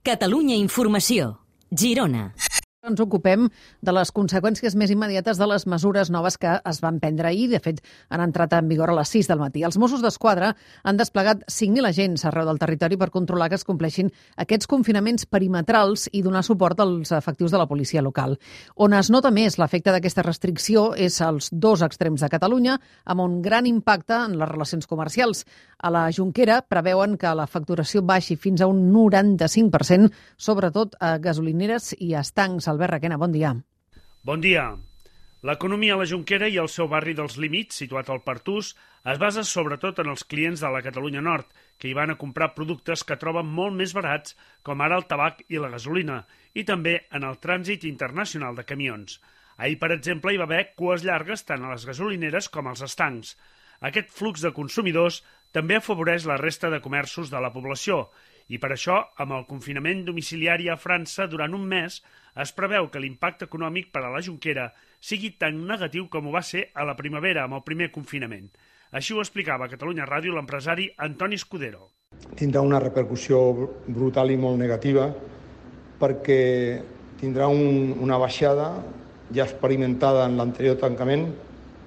Catalunya Informació. Girona. Ens ocupem de les conseqüències més immediates de les mesures noves que es van prendre ahir. De fet, han entrat en vigor a les 6 del matí. Els Mossos d'Esquadra han desplegat 5.000 agents arreu del territori per controlar que es compleixin aquests confinaments perimetrals i donar suport als efectius de la policia local. On es nota més l'efecte d'aquesta restricció és als dos extrems de Catalunya, amb un gran impacte en les relacions comercials. A la Jonquera preveuen que la facturació baixi fins a un 95%, sobretot a gasolineres i estancs. Albert Requena, bon dia. Bon dia. L'economia a la Jonquera i el seu barri dels Límits, situat al Pertús, es basa sobretot en els clients de la Catalunya Nord, que hi van a comprar productes que troben molt més barats, com ara el tabac i la gasolina, i també en el trànsit internacional de camions. Ahir, per exemple, hi va haver cues llargues tant a les gasolineres com als estancs. Aquest flux de consumidors també afavoreix la resta de comerços de la població, i per això, amb el confinament domiciliari a França durant un mes, es preveu que l'impacte econòmic per a la Jonquera sigui tan negatiu com ho va ser a la primavera amb el primer confinament. Així ho explicava a Catalunya Ràdio l'empresari Antoni Escudero. Tindrà una repercussió brutal i molt negativa perquè tindrà una baixada ja experimentada en l'anterior tancament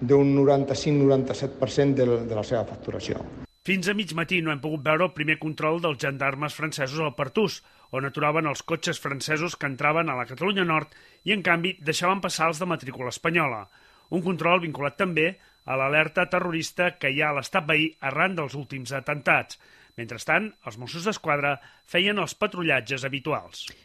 d'un 95-97% de la seva facturació. Fins a mig matí no hem pogut veure el primer control dels gendarmes francesos al Pertús, on aturaven els cotxes francesos que entraven a la Catalunya Nord i, en canvi, deixaven passar els de matrícula espanyola. Un control vinculat també a l'alerta terrorista que hi ha a l'estat veí arran dels últims atemptats. Mentrestant, els Mossos d'Esquadra feien els patrullatges habituals.